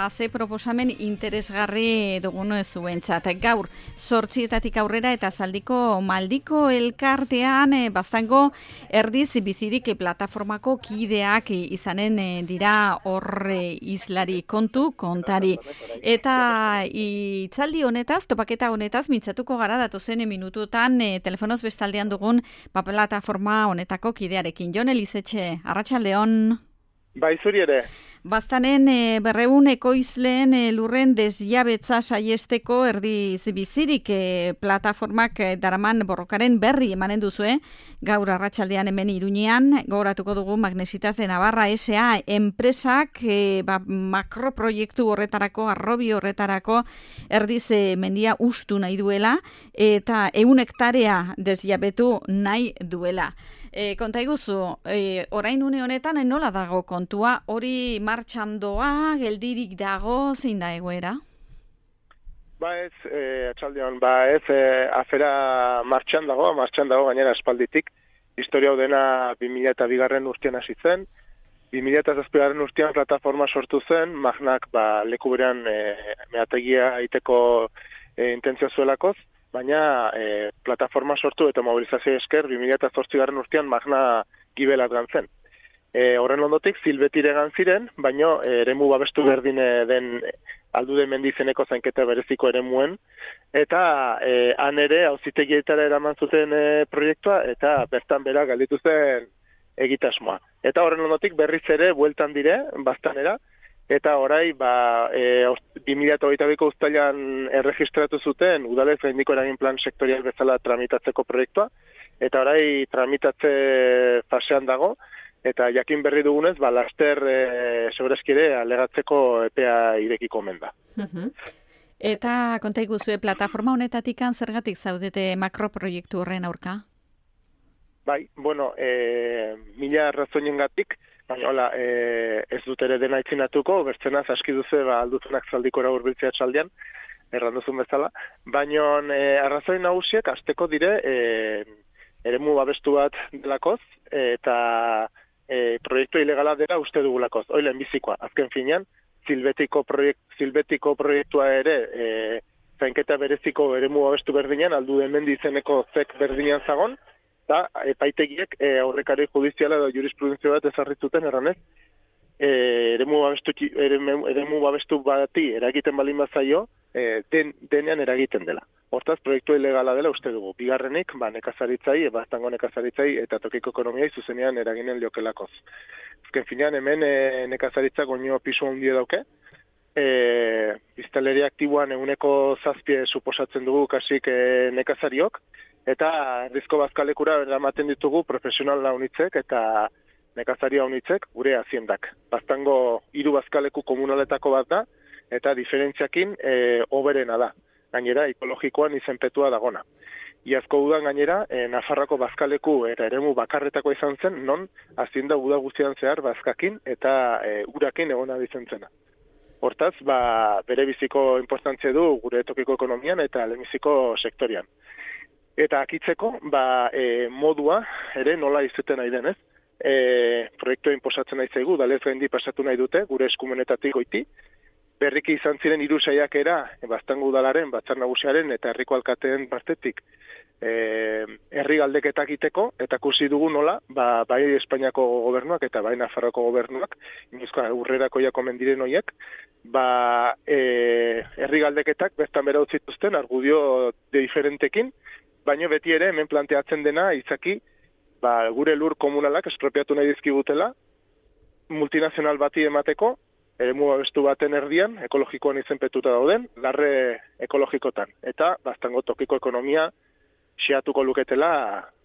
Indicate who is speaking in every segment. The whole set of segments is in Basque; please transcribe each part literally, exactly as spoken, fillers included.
Speaker 1: Ze proposamen interesgarri dugun zuentzat. Gaur, zortzietatik aurrera eta zaldiko maldiko elkartean e, baztango erdiz bizirik plataformako kideak izanen e, dira horre islari kontu kontari. Eta itzaldi honetaz, topaketa honetaz, mintzatuko gara datozen minututan e, telefonoz bestaldean dugun ba, plataforma honetako kidearekin. Jon Elizetxe, arratsaldeon.
Speaker 2: Bai, zuri ere.
Speaker 1: Baztanen e, berreun ekoizleen e, lurren desjabetza saiesteko erdiz bizirik e, plataformak e, daraman borrokaren berri emanen duzue, gaur arratsaldean hemen Iruñean, gogoratuko dugu Magnesitas de Navarra S A enpresak e, ba, makroproiektu horretarako, arrobi horretarako erdiz e, mendia ustu nahi duela eta ehun hektarea desjabetu nahi duela. E, konta iguzu, e, orain une honetan nola dago kontua, hori martxan doa, geldirik dago, zein da egoera?
Speaker 2: Ba ez, e, atxaldean, ba ez, e, afera martxan dago, martxan dago gainera espalditik. Historia hau dena bi mila bigarren urtean hasi zen, bi mila zazpigarren urtean plataforma sortu zen, Magnak ba, leku berean e, meategia egiteko e, intentzio zuelakoz, baina e, plataforma sortu eta mobilizazio esker bi mila zortzigarren urtean Magna gibelat gantzen. E, horren ondotik zilbetire ziren, baina e, eremu babestu berdin den aldude mendizeneko zainketa bereziko eremuen, eta e, han ere auzitegietara eraman zuten e, proiektua, eta bertan bera galditu zen egitasmoa. Eta horren ondotik berriz ere bueltan dire, baztanera, eta orai, ba, e, bi mila hogeita biko uztailan erregistratu zuten udalez gaindiko eragin plan sektorial bezala tramitatzeko proiektua, eta orai tramitatze fasean dago, eta jakin berri dugunez, ba, laster e, segurazkire alegatzeko epea irekiko omen da.
Speaker 1: Eta konta iguzue, plataforma honetatik zergatik zaudete makroproiektu horren aurka?
Speaker 2: Bai, bueno, e, mila razoinengatik, baina hola, e, ez dut ere dena itzinatuko, bertzenaz aski duzu ba, alduzunak zaldikora hurbiltzea txaldean, erranduzun bezala, baina e, arrazoi nagusiek azteko dire e, eremu babestu bat delakoz, eta e, proiektu ilegala dela uste dugulakoz, oilen bizikoa, azken finean, zilbetiko, proiekt, zilbetiko proiektua ere e, zainketa bereziko eremu babestu berdinean, aldu hemen dizeneko zek berdinean zagon, eta epaitegiek e, aurrekari judiziala edo jurisprudentzia bat ezarritzuten erranez, e, eremu, babestu, eremu, eremu babestu bati eragiten balin bazaio, e, den, denean eragiten dela. Hortaz, proiektu ilegala dela uste dugu. Bigarrenik, ba, nekazaritzai, baztango nekazaritzai eta tokiko ekonomiai zuzenean eraginen liokelakoz. Ezken finean, hemen e, nekazaritza goño pisu handia dauke, e, biztanleria aktiboan eguneko zazpie suposatzen dugu kasik e, nekazariok, eta erdizko bazkalekura eramaten ditugu profesional launitzek eta nekazaria unitzek gure haziendak. Baztango hiru bazkaleku komunaletako bat da, eta diferentziakin e, oberena da. Gainera, ekologikoan izenpetua dagona. Iazko udan gainera, e, Nafarroko bazkaleku eta eremu bakarretako izan zen, non hazienda uda guztian zehar bazkakin eta e, urakin egona bizentzena. Hortaz, ba, bere biziko importantzia du gure tokiko ekonomian eta lehenbiziko sektorian. Eta akitzeko, ba, e, modua ere nola izuten nahi denez. E, proiektua inposatzen nahi zaigu, dalez gaindi pasatu nahi dute, gure eskumenetatik goiti. Berriki izan ziren hiru saiakera, baztango udalaren, batzar nagusiaren eta herriko alkateen partetik e, herri galdeketak egiteko, eta kusi dugu nola, ba, bai Espainiako gobernuak eta bai Nafarroko gobernuak, inuzko urrerako jakomen diren horiek, ba, e, herri galdeketak bertan bera utzituzten, argudio de diferentekin, baina beti ere hemen planteatzen dena izaki ba, gure lur komunalak espropiatu nahi dizkigutela multinazional bati emateko, eremu babestu baten erdian, ekologikoan izenpetuta dauden, larre ekologikotan. Eta baztango tokiko ekonomia xeatuko luketela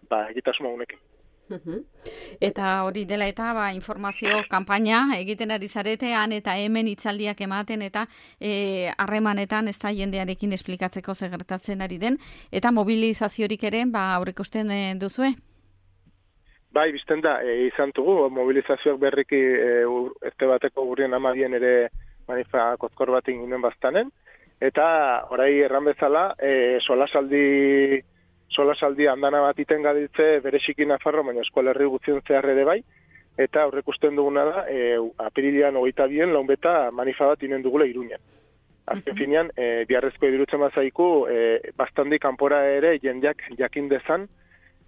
Speaker 2: ba, egitasmo honekin.
Speaker 1: Eta hori dela eta ba, informazio kanpaina egiten ari zaretean eta hemen hitzaldiak ematen eta harremanetan ez da jendearekin esplikatzeko zer gertatzen ari den eta mobilizaziorik ere ba, aurreikusten e, duzue?
Speaker 2: Bai, bizten da, e, izan dugu, mobilizazioak berriki e, ezte bateko gurrien amabien ere manifa kozkor bat inginen baztanen, eta orai erran bezala, e, solasaldi solasaldi andana bat iten gaditze bereziki Nafarro, baina eskualerri guztien zehar ere bai, eta aurrekusten duguna da, e, apirilean hogeita bien, launbeta manifa bat inen dugula Iruñan. Azken finean, e, biharrezko iruditzen bazaiku, e, bastandi kanpora ere jendeak jakin dezan,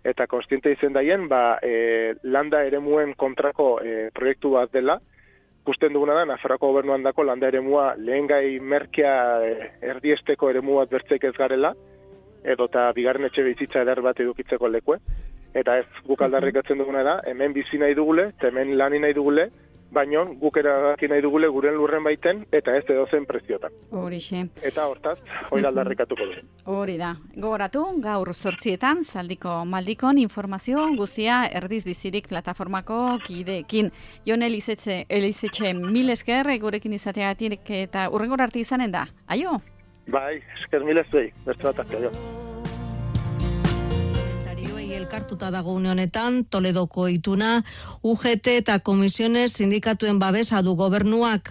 Speaker 2: eta konstiente izen daien, ba, e, landa eremuen kontrako e, proiektu bat dela, ikusten duguna da, Nafarroako gobernuan dako landa eremua lehen gai merkea e, erdiesteko eremu bat bertzeik ez garela, edo eta bigarren etxe bizitza eder bat edukitzeko lekue, eta ez guk aldarrikatzen duguna da, hemen bizi nahi dugule, eta hemen lani nahi dugule, baino guk erabaki nahi dugule guren lurren baiten, eta ez edozen preziotan.
Speaker 1: Horixe.
Speaker 2: Eta hortaz, hori aldarrikatuko du.
Speaker 1: Hori da. Gogoratu, gaur zortzietan, Zaldiko Maldikon informazio guztia Erdiz Bizirik plataformako kideekin. Jon Elizetxe, Elizetxe mil esker, gurekin izateagatik eta urrengor arte izanen da. Aio?
Speaker 2: Bai, esker mil ezbei, bertze bat arte, aio.
Speaker 3: Elkartuta dago une honetan, Toledoko ituna, U G T eta komisiones sindikatuen babesa du gobernuak.